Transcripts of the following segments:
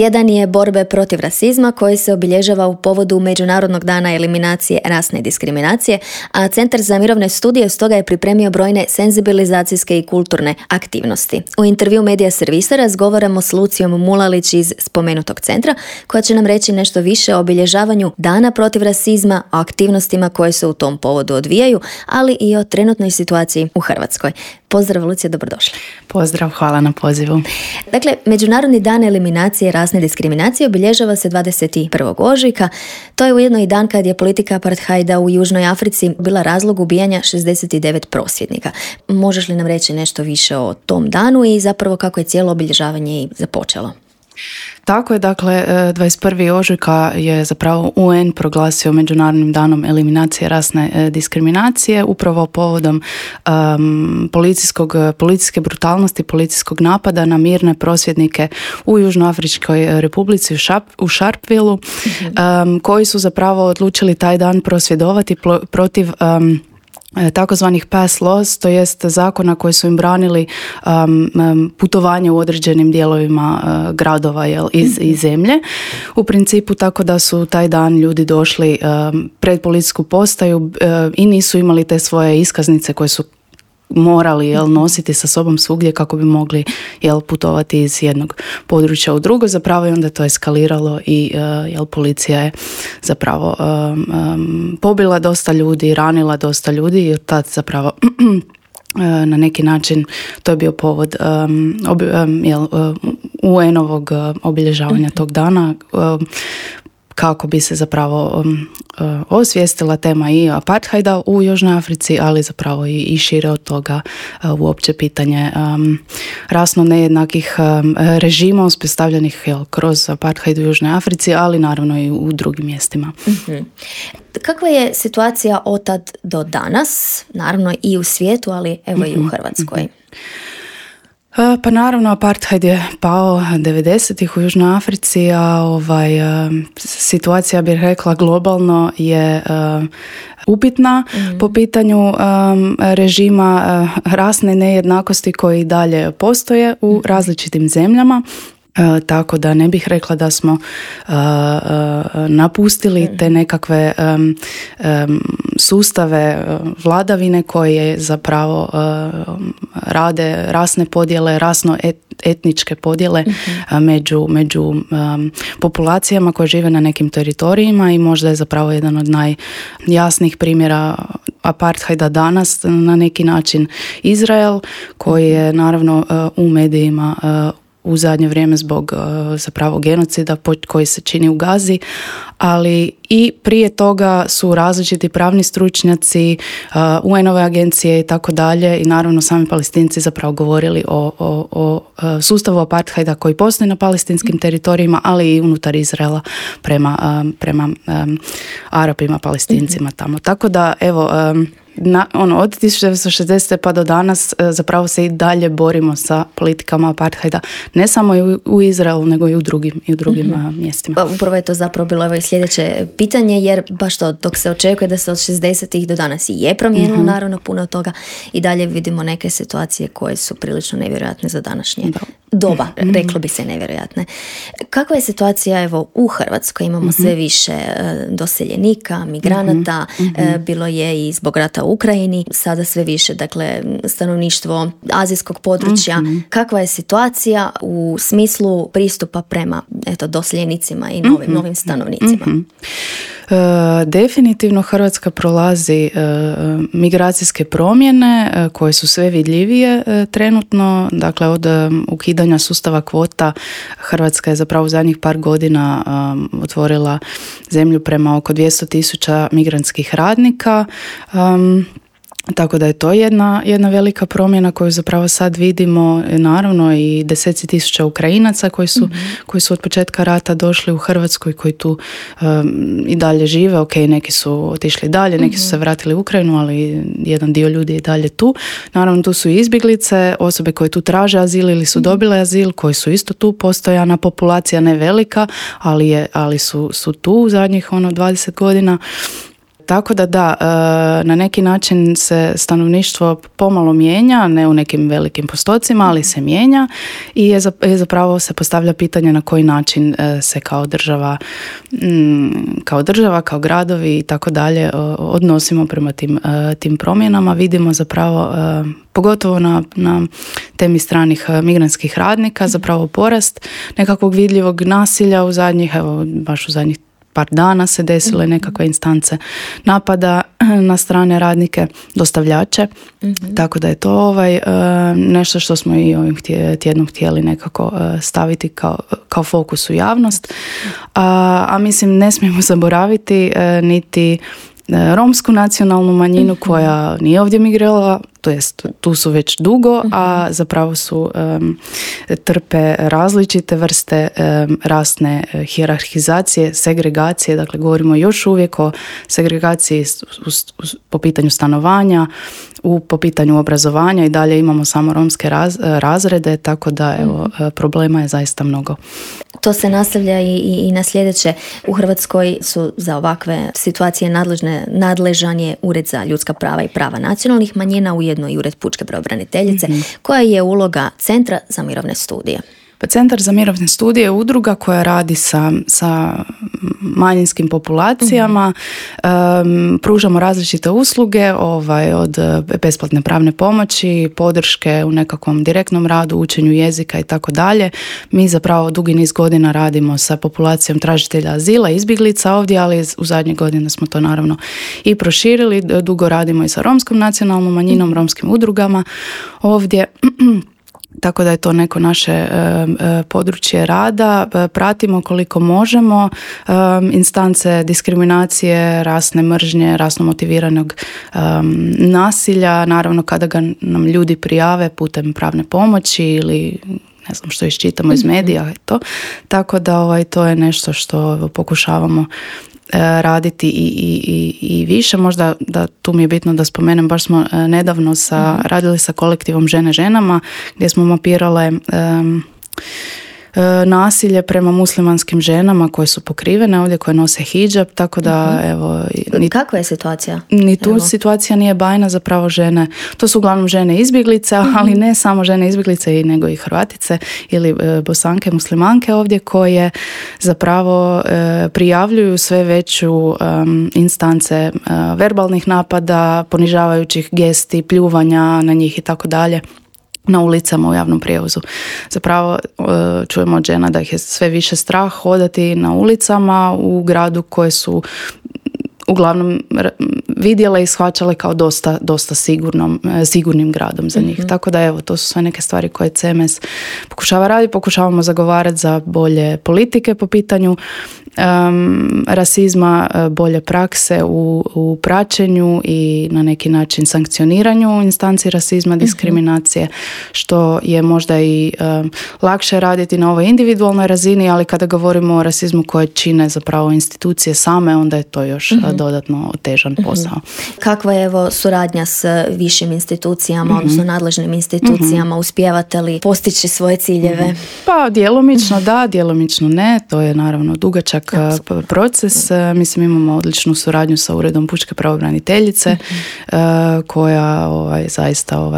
Tjedan je borbe protiv rasizma koji se obilježava u povodu Međunarodnog dana eliminacije rasne diskriminacije, a Centar za mirovne studije stoga je pripremio brojne senzibilizacijske i kulturne aktivnosti. U intervju Medija servisa razgovaramo s Lucijom Mulalić iz spomenutog centra, koja će nam reći nešto više o obilježavanju Dana protiv rasizma, o aktivnostima koje se u tom povodu odvijaju, ali i o trenutnoj situaciji u Hrvatskoj. Pozdrav Lucija, dobrodošla. Pozdrav, hvala na pozivu. Dakle, Međunarodni dan eliminacije rasne diskriminacije obilježava se 21. ožujka. To je ujedno i dan kad je politika apartheida u Južnoj Africi bila razlog ubijanja 69 prosvjednika. Možeš li nam reći nešto više o tom danu i zapravo kako je cijelo obilježavanje i započelo? Tako je, dakle, 21. ožujka je zapravo UN proglasio Međunarodnim danom eliminacije rasne diskriminacije, upravo povodom policijske brutalnosti, policijskog napada na mirne prosvjednike u Južnoafričkoj republici u Sharpevilleu, koji su zapravo odlučili taj dan prosvjedovati protiv takozvanih pass laws, to jest zakona koji su im branili putovanje u određenim dijelovima gradova iz zemlje. U principu tako da su taj dan ljudi došli pred policijsku postaju i nisu imali te svoje iskaznice koje su morali nositi sa sobom svugdje kako bi mogli putovati iz jednog područja u drugo. Zapravo je onda to eskaliralo i policija je zapravo pobila dosta ljudi, ranila dosta ljudi i tad zapravo na neki način to je bio povod UN-ovog obilježavanja tog dana, kako bi se zapravo osvijestila tema i apartheida u Južnoj Africi, ali zapravo i šire od toga uopće pitanje rasno nejednakih režima uspostavljenih kroz apartheid u Južnoj Africi, ali naravno i u drugim mjestima. Kakva je situacija od tad do danas, naravno i u svijetu, ali evo i u Hrvatskoj? Pa naravno, apartheid je pao 90-ih u Južnoj Africi, a situacija, bih rekla, globalno je upitna po pitanju režima rasne nejednakosti koji dalje postoje u različitim zemljama. Tako da ne bih rekla da smo napustili te nekakve sustave vladavine koje zapravo rade rasne podjele, rasno-etničke podjele među populacijama koje žive na nekim teritorijima i možda je zapravo jedan od najjasnijih primjera apartheida danas na neki način Izrael, koji je naravno u medijima u zadnje vrijeme zbog zapravo genocida koji se čini u Gazi, ali i prije toga su različiti pravni stručnjaci, UN-ove agencije i tako dalje i naravno sami Palestinci zapravo govorili o sustavu apartheida koji postoji na palestinskim teritorijima, ali i unutar Izraela prema Arapima, Palestincima tamo. Tako da evo, od 1960. pa do danas zapravo se i dalje borimo sa politikama apartheida, ne samo i u Izraelu, nego i u drugim mjestima. Upravo je to zapravo bilo i sljedeće pitanje, jer baš to, dok se očekuje da se od 60-ih do danas i je promijenilo naravno puno toga, i dalje vidimo neke situacije koje su prilično nevjerojatne za današnje doba, reklo bi se nevjerojatne. Kakva je situacija evo u Hrvatskoj? Imamo sve više doseljenika, migranata, bilo je i zbog rata u Ukrajini, sada sve više, dakle, stanovništvo azijskog područja. Kakva je situacija u smislu pristupa prema doseljenicima i novim stanovnicima? Definitivno Hrvatska prolazi migracijske promjene koje su sve vidljivije trenutno. Dakle, od ukidanja sustava kvota Hrvatska je zapravo u zadnjih par godina otvorila zemlju prema oko 200,000 migrantskih radnika. Tako da je to jedna velika promjena koju zapravo sad vidimo, naravno i 10,000 Ukrajinaca koji su od početka rata došli u Hrvatsku i koji tu i dalje žive. Ok, neki su otišli dalje, neki su se vratili u Ukrajinu, ali jedan dio ljudi je dalje tu. Naravno, tu su i izbjeglice, osobe koje tu traže azil ili su dobile azil, koji su isto tu, postojana populacija, ne velika, ali su tu u zadnjih 20 godina. Tako da, na neki način se stanovništvo pomalo mijenja, ne u nekim velikim postocima, ali se mijenja i zapravo se postavlja pitanje na koji način se kao država, kao gradovi i tako dalje odnosimo prema tim promjenama. Vidimo zapravo pogotovo na temi stranih migrantskih radnika zapravo porast nekakvog vidljivog nasilja u zadnjih par dana se desile nekakve instance napada na strane radnike, dostavljače, tako da je to nešto što smo i ovim tjednom htjeli nekako staviti kao fokus u javnost, a mislim ne smijemo zaboraviti niti romsku nacionalnu manjinu koja nije ovdje migrirala, to jest tu su već dugo, a zapravo su trpe različite vrste rasne hijerarhizacije, segregacije, dakle govorimo još uvijek o segregaciji po pitanju stanovanja, po pitanju obrazovanja i dalje imamo samo romske razrede, tako da problema je zaista mnogo. To se nastavlja i na sljedeće. U Hrvatskoj su za ovakve situacije nadležan je Ured za ljudska prava i prava nacionalnih manjina, ujedno i Ured pučke pravobraniteljice, koja je uloga Centra za mirovne studije. Pa Centar za mirovne studije je udruga koja radi sa manjinskim populacijama, pružamo različite usluge, od besplatne pravne pomoći, podrške u nekakvom direktnom radu, učenju jezika i tako dalje. Mi zapravo dugi niz godina radimo sa populacijom tražitelja azila, izbjeglica ovdje, ali u zadnje godine smo to naravno i proširili. Dugo radimo i sa romskom nacionalnom manjinom, romskim udrugama ovdje. Tako da je to neko naše područje rada. Pratimo koliko možemo instance diskriminacije, rasne mržnje, rasno motiviranog nasilja. Naravno kada ga nam ljudi prijave putem pravne pomoći ili ne znam što iščitamo iz medija. Tako da to je nešto što pokušavamo raditi i više. Možda da tu mi je bitno da spomenem, baš smo nedavno radili sa kolektivom Žene ženama gdje smo mapirale nasilje prema muslimanskim ženama koje su pokrivene ovdje, koje nose hidžab, tako da Kakva je situacija? Ni tu situacija nije bajna, zapravo žene, to su uglavnom žene izbjeglice, ali ne samo žene izbjeglice nego i Hrvatice ili Bosanke, muslimanke ovdje, koje zapravo prijavljuju sve veću instance verbalnih napada, ponižavajućih gesti, pljuvanja na njih i tako dalje na ulicama, u javnom prijevozu. Zapravo čujemo od žena da ih je sve više strah hodati na ulicama u gradu koje su uglavnom vidjele i shvaćale kao dosta sigurnim gradom za njih. Tako da to su sve neke stvari koje CMS pokušava raditi. Pokušavamo zagovarati za bolje politike po pitanju rasizma, bolje prakse u praćenju i na neki način sankcioniranju instanci rasizma, diskriminacije, što je možda i lakše raditi na ovoj individualnoj razini, ali kada govorimo o rasizmu koje čine zapravo institucije same, onda je to još dodatno otežan posao. Kakva je suradnja s višim institucijama, odnosno nadležnim institucijama? Uspijevate li postići svoje ciljeve? Pa djelomično da, djelomično ne. To je naravno dugačak proces. Mislim, imamo odličnu suradnju sa Uredom pučke pravobraniteljice koja zaista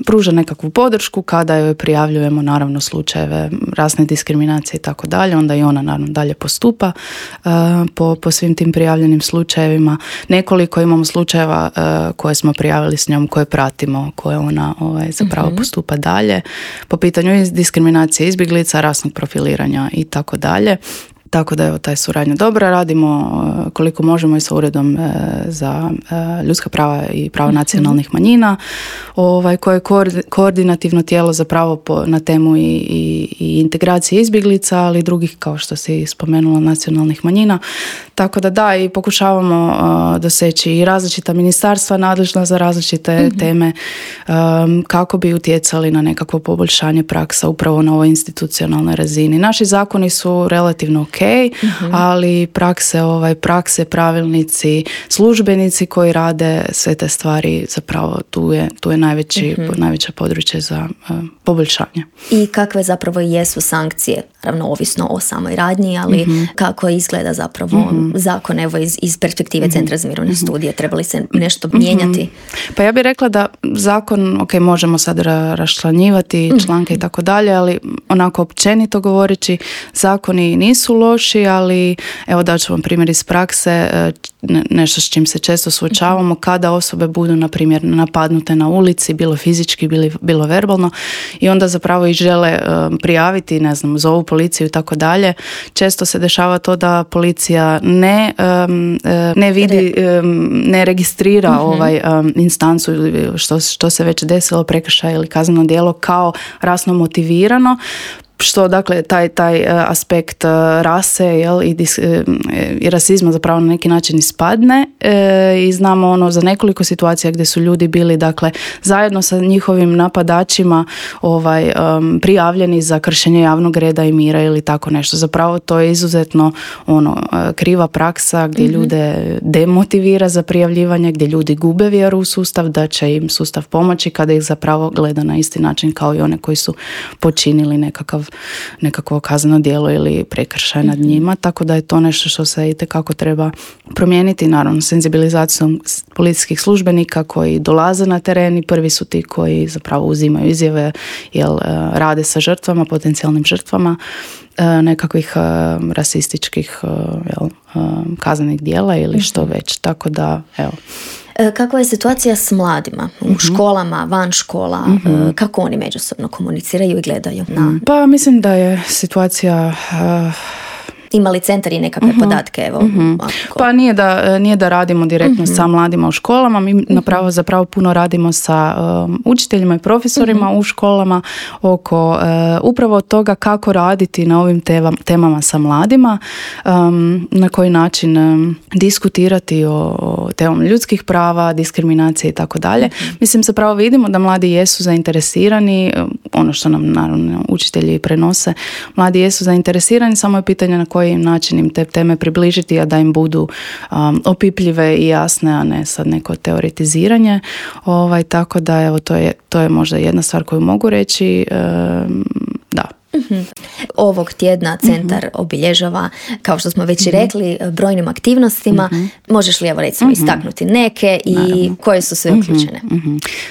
pruža nekakvu podršku kada joj prijavljujemo naravno slučajeve rasne diskriminacije i tako dalje, onda i ona naravno dalje postupa po svim tim prijavljenim slučajevima. Nekoliko imamo slučajeva koje smo prijavili s njom, koje pratimo, koje ona zapravo postupa dalje po pitanju diskriminacije izbjeglica, rasnog profiliranja i tako dalje. Tako da taj suradnja dobra. Radimo koliko možemo i sa Uredom za ljudska prava i prava nacionalnih manjina, koje je koordinativno tijelo zapravo na temu i integracije izbjeglica, ali i drugih, kao što si spomenula, nacionalnih manjina. Tako da i pokušavamo doseći i različita ministarstva nadležna za različite teme kako bi utjecali na nekakvo poboljšanje praksa upravo na ovoj institucionalnoj razini. Naši zakoni su relativno ok, ali prakse, pravilnici, službenici koji rade sve te stvari, zapravo tu je najveće područje za poboljšanje. I kakve zapravo jesu sankcije, ravno ovisno o samoj radnji, ali kako izgleda zapravo zakon, evo iz perspektive Centra za mirovne studije, treba li se nešto mijenjati? Pa ja bih rekla da zakon, možemo sad raščlanjivati članke i tako dalje, ali onako općenito govoreći, zakoni nisu loši, ali evo daću vam primjer iz prakse, nešto s čim se često suočavamo, kada osobe budu, na primjer, napadnute na ulici, bilo fizički, bilo verbalno, i onda zapravo ih žele prijaviti, ne znam, zovu policiju i tako dalje. Često se dešava to da policija ne vidi, ne registrira instancu što se već desilo, prekršaj ili kazneno djelo kao rasno motivirano, što dakle taj aspekt rase i rasizma zapravo na neki način ispadne, i znamo za nekoliko situacija gdje su ljudi bili dakle zajedno sa njihovim napadačima prijavljeni za kršenje javnog reda i mira ili tako nešto. Zapravo to je izuzetno kriva praksa gdje ljude demotivira za prijavljivanje, gdje ljudi gube vjeru u sustav da će im sustav pomoći kada ih zapravo gleda na isti način kao i one koji su počinili nekakvo kazneno djelo ili prekršaj nad njima, tako da je to nešto što se itekako treba promijeniti, naravno senzibilizacijom policijskih službenika koji dolaze na teren i prvi su ti koji zapravo uzimaju izjave, rade sa žrtvama, potencijalnim žrtvama nekakvih rasističkih kaznenih djela ili što već, tako da evo. Kakva je situacija s mladima u školama, van škola, kako oni međusobno komuniciraju i gledaju? Pa mislim da je situacija... Ima li centar i nekakve podatke? Evo, Pa nije da radimo direktno sa mladima u školama, mi zapravo puno radimo sa učiteljima i profesorima u školama oko upravo toga kako raditi na ovim temama sa mladima, na koji način diskutirati o temama ljudskih prava, diskriminacije i tako dalje. Mislim, zapravo vidimo da mladi jesu zainteresirani, ono što nam naravno učitelji prenose, mladi jesu zainteresirani, samo je pitanje na koji način im te teme približiti, a da im budu opipljive i jasne, a ne sad neko teoretiziranje. Tako da evo, to je možda jedna stvar koju mogu reći. Da. Ovog tjedna centar obilježava, kao što smo već i rekli, brojnim aktivnostima. Možeš li evo recimo istaknuti neke i naravno, koje su sve uključene?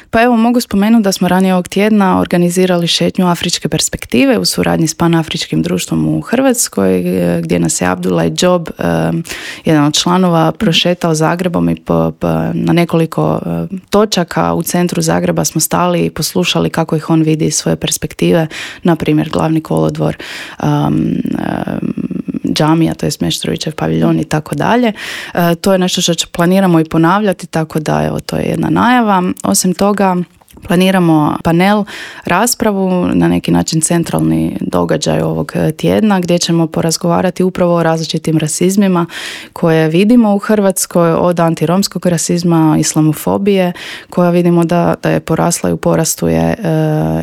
Pa evo, mogu spomenuti da smo ranije ovog tjedna organizirali šetnju Afričke perspektive u suradnji s Panafričkim društvom u Hrvatskoj, gdje nas je Abdullah Job, jedan od članova, prošetao Zagrebom i na nekoliko točaka u centru Zagreba smo stali i poslušali kako ih on vidi iz svoje perspektive, na primjer Glavni kolodvor, džamija, to je Meštrovićev paviljon i tako dalje. To je nešto što planiramo i ponavljati, tako da evo, to je jedna najava. Osim toga, planiramo panel, raspravu, na neki način centralni događaj ovog tjedna, gdje ćemo porazgovarati upravo o različitim rasizmima koje vidimo u Hrvatskoj, od antiromskog rasizma, islamofobije, koja vidimo da je porasla i u porastu je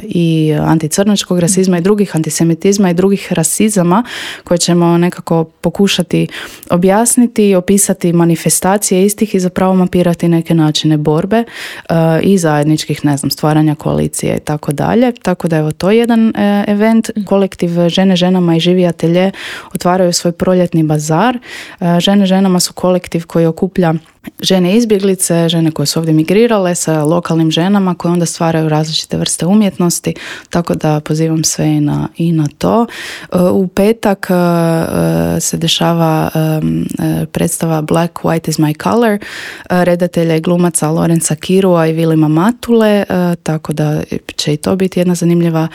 i anticrnačkog rasizma i drugih antisemitizma i drugih rasizama, koje ćemo nekako pokušati objasniti i opisati manifestacije istih i zapravo mapirati neke načine borbe i zajedničkih, stvaranja koalicije i tako dalje. Tako da evo, to je jedan event. Kolektiv Žene ženama i Živi atelje otvaraju svoj proljetni bazar. Žene ženama su kolektiv koji okuplja žene izbjeglice, žene koje su ovdje migrirale sa lokalnim ženama koje onda stvaraju različite vrste umjetnosti, tako da pozivam sve i na to. U petak se dešava predstava Black, White is my color redatelja i glumaca Lorenza Kirua i Vilima Matule, tako da će i to biti jedna zanimljiva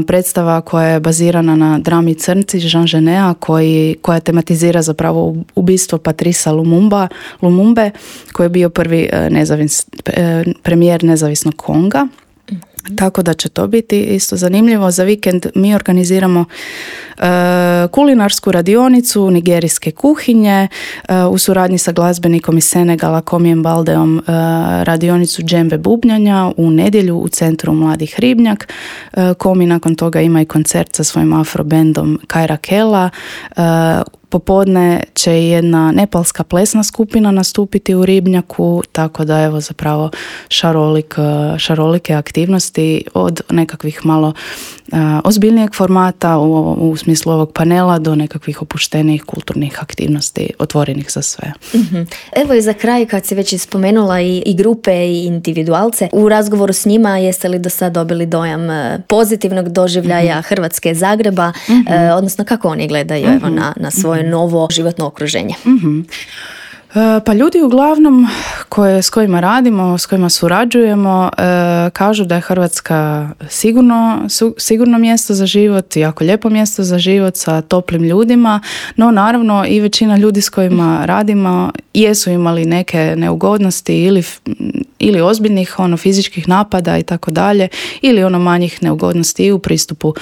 predstava koja je bazirana na drami Crnci Jean Geneta koja tematizira zapravo ubistvo Patrisa Lumumbe, koji je bio prvi premijer nezavisnog Konga. Tako da će to biti isto zanimljivo. Za vikend mi organiziramo kulinarsku radionicu nigerijske kuhinje u suradnji sa glazbenikom iz Senegala Komijem Baldeom, radionicu džembe bubnjanja u nedjelju u centru Mladih Ribnjak. Komi nakon toga ima i koncert sa svojim afrobendom Kaira Kela. Popodne će jedna nepalska plesna skupina nastupiti u Ribnjaku, tako da evo zapravo šarolike aktivnosti od nekakvih malo ozbiljnijeg formata u smislu ovog panela do nekakvih opuštenijih kulturnih aktivnosti otvorenih za sve. Mm-hmm. Evo i za kraj, kad si već spomenula i grupe i individualce, u razgovoru s njima jeste li do sad dobili dojam pozitivnog doživljaja Hrvatske, Zagreba, odnosno kako oni gledaju evo, na svoje novo životno okruženje? Pa ljudi uglavnom s kojima radimo, s kojima surađujemo, kažu da je Hrvatska sigurno mjesto za život, jako lijepo mjesto za život sa toplim ljudima, no naravno i većina ljudi s kojima radimo jesu imali neke neugodnosti ili ozbiljnih fizičkih napada i tako dalje, ili manjih neugodnosti i u pristupu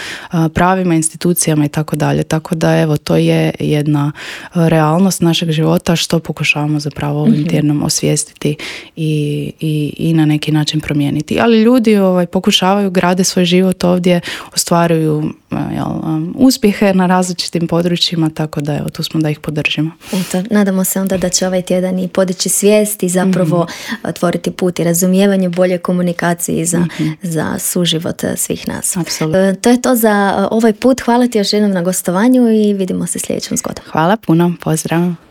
pravima, institucijama i tako dalje. Tako da evo, to je jedna realnost našeg života što pokušavamo zapravo ovim tjednom osvijestiti i na neki način promijeniti. Ali ljudi pokušavaju, grade svoj život ovdje, ostvaruju uspjehe na različitim područjima, tako da evo, tu smo da ih podržimo. Eto, nadamo se onda da će ovaj tjedan i podići svijest i zapravo otvoriti put i razumijevanje, bolje komunikacije za suživot svih nas. Apsolutno. To je to za ovaj put. Hvala ti još jednom na gostovanju i vidimo se sljedećom zgodom. Hvala puno, pozdrav.